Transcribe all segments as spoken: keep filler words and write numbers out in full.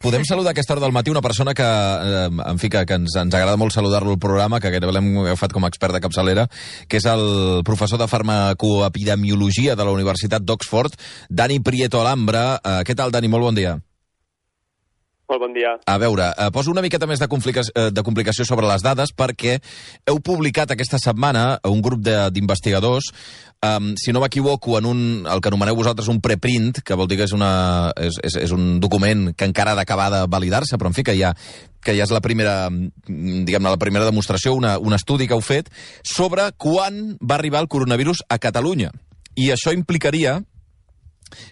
podem saludar a aquesta hora del matí una persona que, eh, en fi, que, que ens, ens agrada molt saludar-lo al programa, que gairebé l'hem agafat com a expert de capçalera, que és el professor de farmacoepidemiologia de la Universitat d'Oxford, Dani Prieto Alhambra. Eh, què tal, Dani? Molt bon dia. Molt bon dia. A veure, eh, poso una miqueta més de, complica de complicació sobre les dades perquè heu publicat aquesta setmana un grup d'investigadors, um, si no m'equivoco, en un, el que anomeneu vosaltres un preprint, que vol dir que és, una, és, és, és un document que encara ha d'acabar de validar-se, però en fi, que ja, que ja és la primera, diguem-ne, la primera demostració, una, un estudi que heu fet sobre quan va arribar el coronavirus a Catalunya. I això implicaria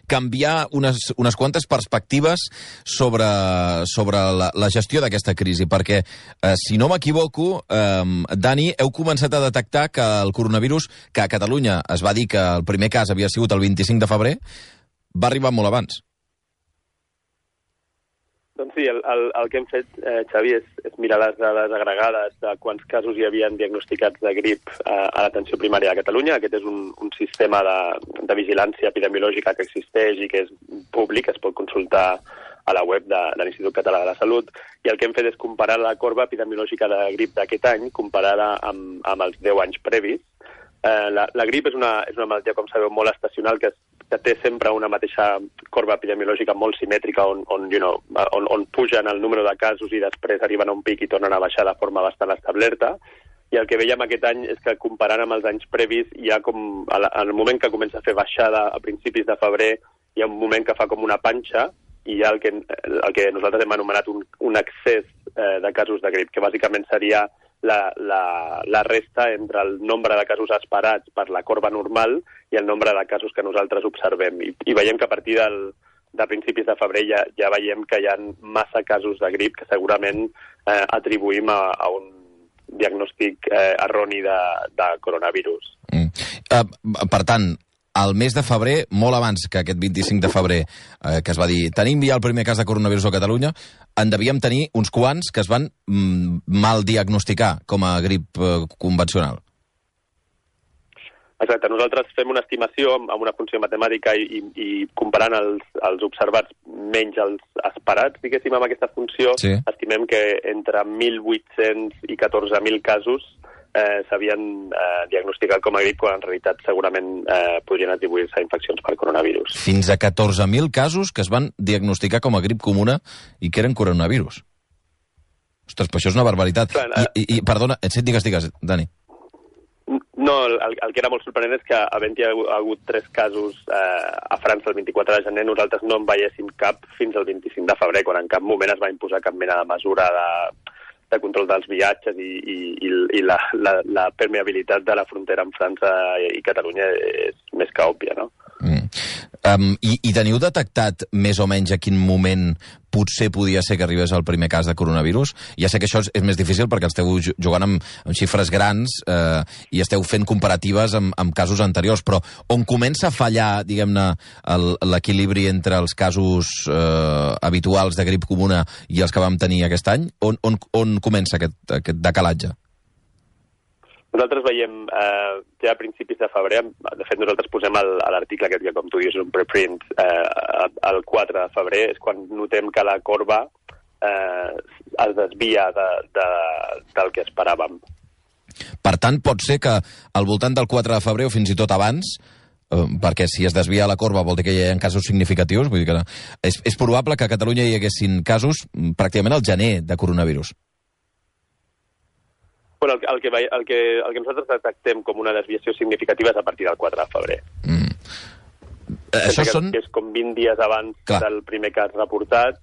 canviar unes, unes quantes perspectives sobre, sobre la, la gestió d'aquesta crisi, perquè, eh, si no m'equivoco, eh, Dani, heu començat a detectar que el coronavirus, que a Catalunya es va dir que el primer cas havia sigut el vint-i-cinc de febrer, va arribar molt abans. Doncs sí, el, el, el que hem fet, eh, Xavi, és, és mirar les dades agregades de quants casos hi havien diagnosticats de grip eh, a l'atenció primària de Catalunya. Aquest és un, un sistema de, de vigilància epidemiològica que existeix i que és públic, es pot consultar a la web de, de l'Institut Català de la Salut, i el que hem fet és comparar la corba epidemiològica de grip d'aquest any comparada amb, amb els deu anys previs. Eh, la, la grip és una, és una malaltia, com sabeu, molt estacional, que, es, que té sempre una mateixa corba epidemiològica molt simètrica, on, on, you know, on, on pugen el número de casos i després arriben a un pic i tornen a baixar de forma bastant establerta. I el que veiem aquest any és que, comparant amb els anys previs, hi ha com, al moment que comença a fer baixada a principis de febrer, hi ha un moment que fa com una panxa, i hi ha el que, el que nosaltres hem anomenat un, un excés eh, de casos de grip, que bàsicament seria La, la, la resta entre el nombre de casos esperats per la corba normal i el nombre de casos que nosaltres observem. I, i veiem que a partir del, de principis de febrer ja, ja veiem que hi ha massa casos de grip que segurament eh, atribuïm a, a un diagnòstic eh, erroni de, de coronavirus. Mm. Uh, per tant, al mes de febrer, molt abans que aquest vint-i-cinc de febrer, eh, que es va dir tenim ja el primer cas de coronavirus a Catalunya, en devíem tenir uns quants que es van mm, mal diagnosticar com a grip eh, convencional. Exacte. Nosaltres fem una estimació amb una funció matemàtica i, i, i comparant els, els observats menys els esperats, diguéssim, amb aquesta funció, sí. Estimem que entre mil vuit-cents i catorze mil casos Eh, s'havien eh, diagnosticat com a grip, quan en realitat segurament eh, podrien atribuir-se a infeccions per coronavirus. Fins a catorze mil casos que es van diagnosticar com a grip comuna i que eren coronavirus. Ostres, però això és una barbaritat. Clar, eh... I, i, i, perdona, digues, digues, Dani. No, el, el que era molt sorprenent és que, havent-hi hagut tres casos eh, a França el vint-i-quatre de gener, nosaltres no en veiéssim cap fins al vint-i-cinc de febrer, quan en cap moment es va imposar cap mena de mesura de... de control dels viatges i, i, i la, la, la permeabilitat de la frontera amb França i Catalunya és més que òbvia, no? Mm. Um, i, I teniu detectat més o menys a quin moment potser podia ser que arribés el primer cas de coronavirus? Ja sé que això és, és més difícil perquè esteu jugant amb, amb xifres grans eh, i esteu fent comparatives amb, amb casos anteriors, però on comença a fallar, diguem-ne, l'equilibri entre els casos eh, habituals de grip comuna i els que vam tenir aquest any? On, on, on comença aquest, aquest decalatge? Nosaltres veiem, eh, ja a principis de febrer, de fet nosaltres posem el, a l'article aquest que, com tu dius, és un preprint, eh, el quatre de febrer és quan notem que la corba eh, es desvia de, de, del que esperàvem. Per tant, pot ser que al voltant del quatre de febrer o fins i tot abans, eh, perquè si es desvia la corba vol dir que hi ha casos significatius, vull dir que és, és probable que a Catalunya hi haguessin casos pràcticament al gener de coronavirus. Bueno, el, el, que, el, que, el que nosaltres detectem com una desviació significativa és a partir del quatre de febrer. Mm. Eh, això que, són... que és com vint dies abans Clar. del primer cas reportat,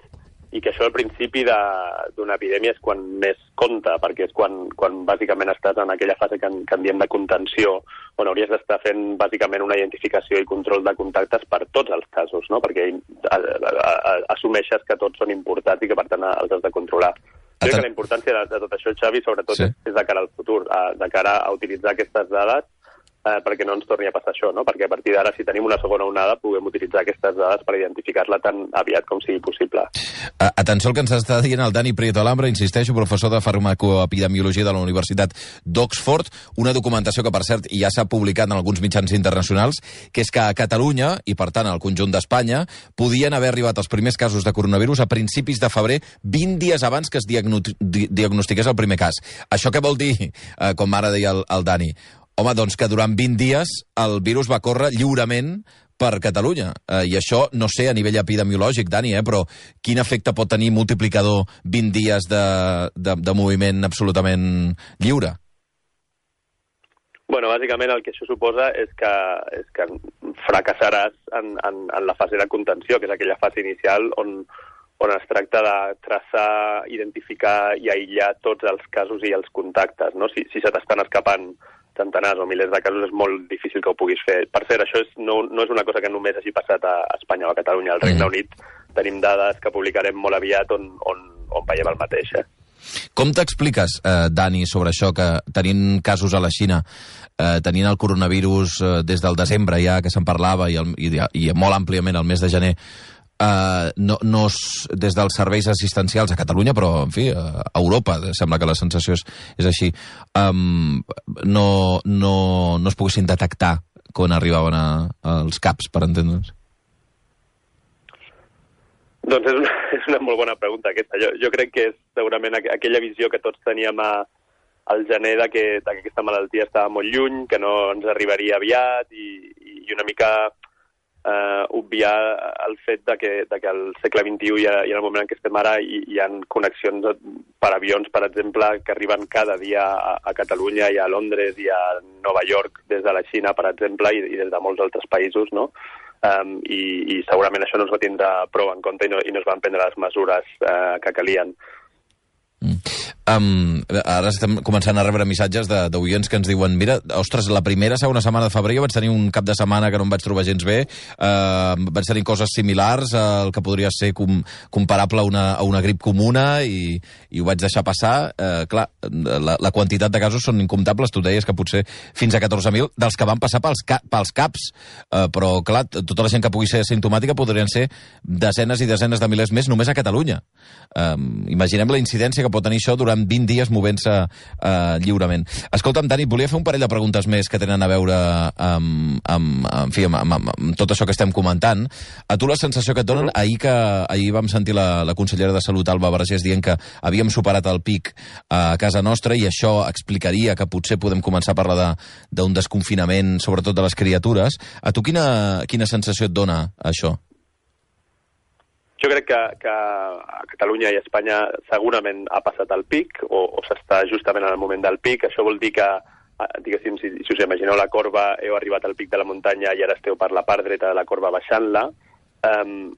i que això al principi d'una epidèmia és quan més compta, perquè és quan, quan bàsicament estàs en aquella fase que en, que en diem de contenció, on hauries d'estar fent bàsicament una identificació i control de contactes per tots els casos, no? Perquè a, a, a, assumeixes que tots són importats i que per tant els has de controlar. Crec que la importància de, de tot això, Xavi, sobretot sí. és, és de cara al futur, a, de cara a utilitzar aquestes dades eh, perquè no ens torni a passar això, no? Perquè a partir d'ara, si tenim una segona onada, puguem utilitzar aquestes dades per identificar-la tan aviat com sigui possible. Uh, atenció al que ens està dient el Dani Prieto Alhambra, insisteixo, professor de farmacoepidemiologia de la Universitat d'Oxford, una documentació que, per cert, ja s'ha publicat en alguns mitjans internacionals, que és que a Catalunya, i per tant al conjunt d'Espanya, podien haver arribat els primers casos de coronavirus a principis de febrer, vint dies abans que es diagno diagnostiqués el primer cas. Això què vol dir, uh, com ara deia el, el Dani? Home, doncs que durant vint dies el virus va córrer lliurement per Catalunya. Eh, I això, no sé, a nivell epidemiològic, Dani, eh, però quin efecte pot tenir multiplicador vint dies de, de, de moviment absolutament lliure? Bueno, bàsicament el que això suposa és que, és que fracassaràs en, en, en la fase de contenció, que és aquella fase inicial on, on es tracta de traçar, identificar i aïllar tots els casos i els contactes, no? Si, si se t'estan escapant centenars o milers de casos, és molt difícil que ho puguis fer. Per cert, això és, no, no és una cosa que només hagi passat a Espanya o a Catalunya. Al Regne Unit tenim dades que publicarem molt aviat on, on, on veiem el mateix. Eh? Com t'expliques, eh, Dani, sobre això, que tenint casos a la Xina, eh, tenint el coronavirus eh, des del desembre ja, que se'n parlava, i, el, i, i molt àmpliament el mes de gener, Uh, no, no es, des dels serveis assistencials a Catalunya, però, en fi, a Europa, sembla que la sensació és, és així, um, no, no, no es poguessin detectar quan arribaven a, als CAPs, per entendre'ns? Doncs és una, és una molt bona pregunta, aquesta. Jo, jo crec que és segurament aqu aquella visió que tots teníem a, al gener de que, de que aquesta malaltia estava molt lluny, que no ens arribaria aviat, i, i una mica... Uh, obviar el fet de que, de que al segle vint-i-u i, a, i en el moment en què estem ara hi, hi ha connexions per avions, per exemple, que arriben cada dia a, a Catalunya i a Londres i a Nova York des de la Xina, per exemple, i, i des de molts altres països, no? Um, i, i segurament això no es va tindre prou en compte i no, i no es van prendre les mesures uh, que calien. Mm. Um, ara estem començant a rebre missatges d'oients que ens diuen, mira, ostres, la primera, segona setmana de febrer jo vaig tenir un cap de setmana que no em vaig trobar gens bé, uh, vaig tenir coses similars al que podria ser com, comparable a una, a una grip comuna i, i ho vaig deixar passar. Uh, clar, la, la quantitat de casos són incomptables, tu deies que potser fins a catorze mil dels que van passar pels, ca, pels CAPs, uh, però clar, tota la gent que pugui ser simptomàtica podrien ser desenes i desenes de milers més només a Catalunya. Um, imaginem la incidència que pot tenir això durant vint dies movent-se uh, lliurement. Escolta'm, Dani, volia fer un parell de preguntes més que tenen a veure amb, amb, en fi, amb, amb, amb tot això que estem comentant. A tu la sensació que et donen, ahir, que, ahir vam sentir la, la consellera de Salut, Alba Vergés, dient que havíem superat el pic a casa nostra i això explicaria que potser podem començar a parlar d'un de, desconfinament, sobretot de les criatures. A tu quina, quina sensació et dona això? Jo crec que, que a Catalunya i a Espanya segurament ha passat el pic o, o s'està justament en el moment del pic. Això vol dir que, diguéssim, si, si us imagineu la corba, heu arribat al pic de la muntanya i ara esteu per la part dreta de la corba baixant-la. Um,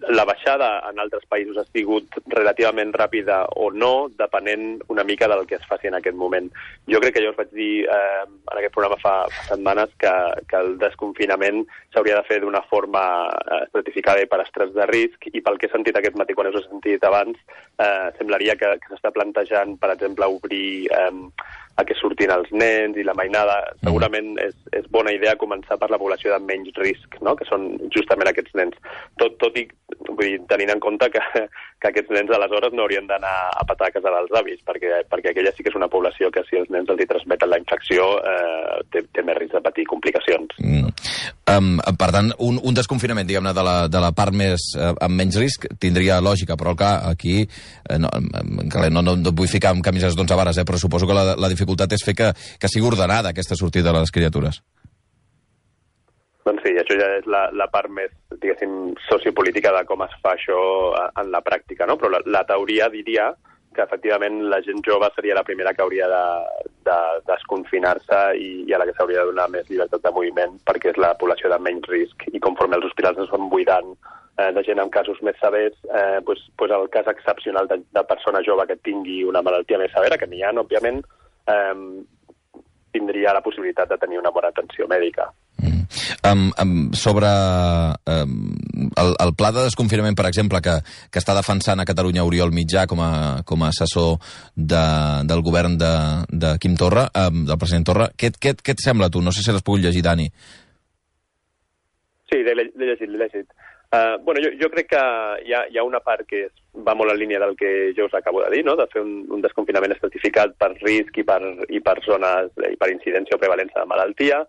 la baixada en altres països ha sigut relativament ràpida o no, depenent una mica del que es faci en aquest moment. Jo crec que ja us vaig dir eh, en aquest programa fa, fa setmanes que, que el desconfinament s'hauria de fer d'una forma eh, estratificada i per estrès de risc, i pel que he sentit aquest matí, quan us he sentit abans, eh, semblaria que, que s'està plantejant, per exemple, obrir eh, a què surtin els nens i la mainada. Segurament és, és bona idea començar per la població de menys risc, no? Que són justament aquests nens. Tot, tot i vull dir, tenint en compte que, que aquests nens aleshores no haurien d'anar a petar a casa dels avis, perquè, perquè aquella sí que és una població que si els nens els hi transmeten la infecció eh, té, té més risc de patir complicacions. Mm. Um, per tant, un, un desconfinament, diguem-ne, de, la, de la part més eh, amb menys risc tindria lògica, però clar, aquí eh, no, no, no, no vull ficar amb camises d'onze vares, eh, però suposo que la, la dificultat és fer que, que sigui ordenada aquesta sortida de les criatures. Doncs sí, això ja és la, la part més, diguéssim, sociopolítica de com es fa això en la pràctica, no? Però la, la teoria diria que efectivament la gent jove seria la primera que hauria de, de desconfinar-se i, i a la que s'hauria de donar més llibertat de moviment, perquè és la població de menys risc, i conforme els hospitals es van buidant eh, de gent amb casos més severs, eh, pues, pues el cas excepcional de, de persona jove que tingui una malaltia més severa, que n'hi ha, òbviament, eh, tindria la possibilitat de tenir una bona atenció mèdica. Mm. Um, um, sobre um, el, el pla de desconfinament, per exemple, que, que està defensant a Catalunya Oriol Mitjà com a, com a assessor de, del govern de, de Quim Torra, um, del president Torra, què, què, què et sembla, tu? No sé si l'has pogut llegir, Dani. Sí, l'he llegit, l'he llegit. Uh, bueno, jo, jo crec que hi ha, hi ha una part que és, va molt en línia del que jo us acabo de dir, no? De fer un, un desconfinament estratificat per risc i per, i per zones i per incidència o prevalença de malaltia.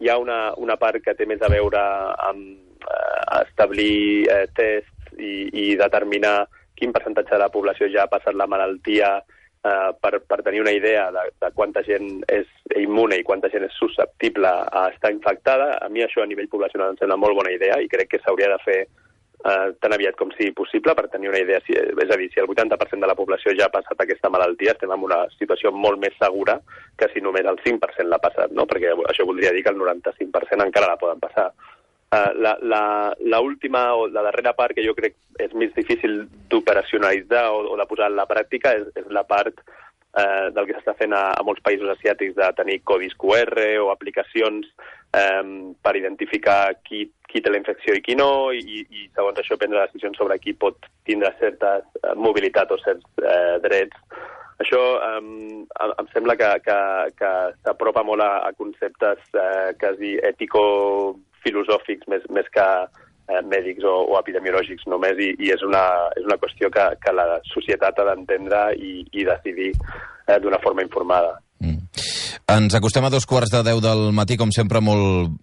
Hi ha una, una part que té més a veure amb eh, establir eh, tests i, i determinar quin percentatge de la població ja ha passat la malaltia eh, per, per tenir una idea de, de quanta gent és immune i quanta gent és susceptible a estar infectada. A mi això a nivell poblacional em sembla molt bona idea i crec que s'hauria de fer eh, tan aviat com sigui possible per tenir una idea. Si, és a dir, si el vuitanta per cent de la població ja ha passat aquesta malaltia, estem en una situació molt més segura que si només el cinc per cent l'ha passat, no? Perquè això voldria dir que el noranta-cinc per cent encara la poden passar. Uh, la, la, la última o la darrera part que jo crec és més difícil d'operacionalitzar o, o de posar en la pràctica és, és la part uh, del que s'està fent a, a molts països asiàtics de tenir codis Q R o aplicacions um, per identificar qui, qui té la infecció i qui no, i, i segons això prendre decisions sobre qui pot tindre certa uh, mobilitat o certs uh, drets. Això um, em sembla que, que, que s'apropa molt a, a conceptes uh, quasi ètico-filosòfics més, més que uh, mèdics o, o epidemiològics només, i, i és, una, és una qüestió que, que la societat ha d'entendre i, i decidir uh, d'una forma informada. Mm. Ens acostem a dos quarts de deu del matí, com sempre, molt,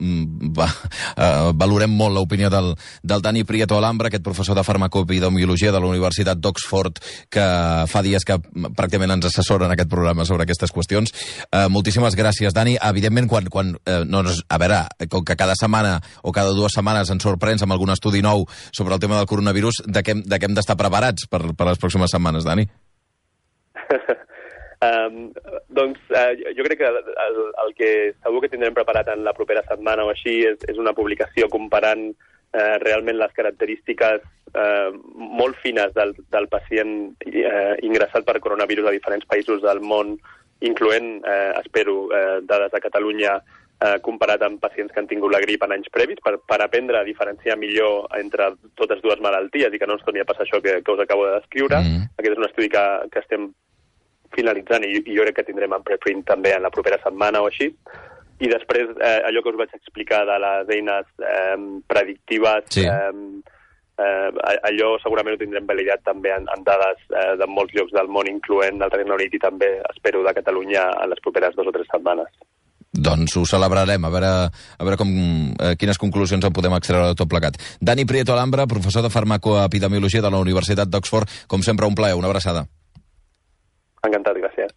va, uh, valorem molt l'opinió del, del Dani Prieto Alhambra, aquest professor de farmacoepidemiologia de la Universitat d'Oxford, que fa dies que pràcticament ens assessora en aquest programa sobre aquestes qüestions. Uh, moltíssimes gràcies, Dani. Evidentment, quan, quan uh, no, a veure, com que cada setmana o cada dues setmanes ens sorprens amb algun estudi nou sobre el tema del coronavirus, de què, de què hem d'estar preparats per, per les pròximes setmanes, Dani? Um, doncs uh, jo crec que el, el que segur que tindrem preparat en la propera setmana o així és, és una publicació comparant uh, realment les característiques uh, molt fines del, del pacient uh, ingressat per coronavirus a diferents països del món, incloent, uh, espero, uh, dades de Catalunya uh, comparat amb pacients que han tingut la grip en anys previs, per, per aprendre a diferenciar millor entre totes dues malalties i que no ens torni a passar això que, que us acabo de descriure. Mm. Aquest és un estudi que, que estem finalitzant i, i jo crec que tindrem en preprint també en la propera setmana o així. I després, eh, allò que us vaig explicar de les eines eh, predictives, sí. eh, eh, allò segurament ho tindrem validat també en, en dades eh, de molts llocs del món, incloent el Regne Unit i també, espero, de Catalunya en les properes dues o tres setmanes. Doncs ho celebrarem, a veure, a veure com, eh, quines conclusions en podem extreure de tot plegat. Dani Prieto Alhambra, professor de farmacoepidemiologia de la Universitat d'Oxford, com sempre un plaer, una abraçada. Encantat, gràcies.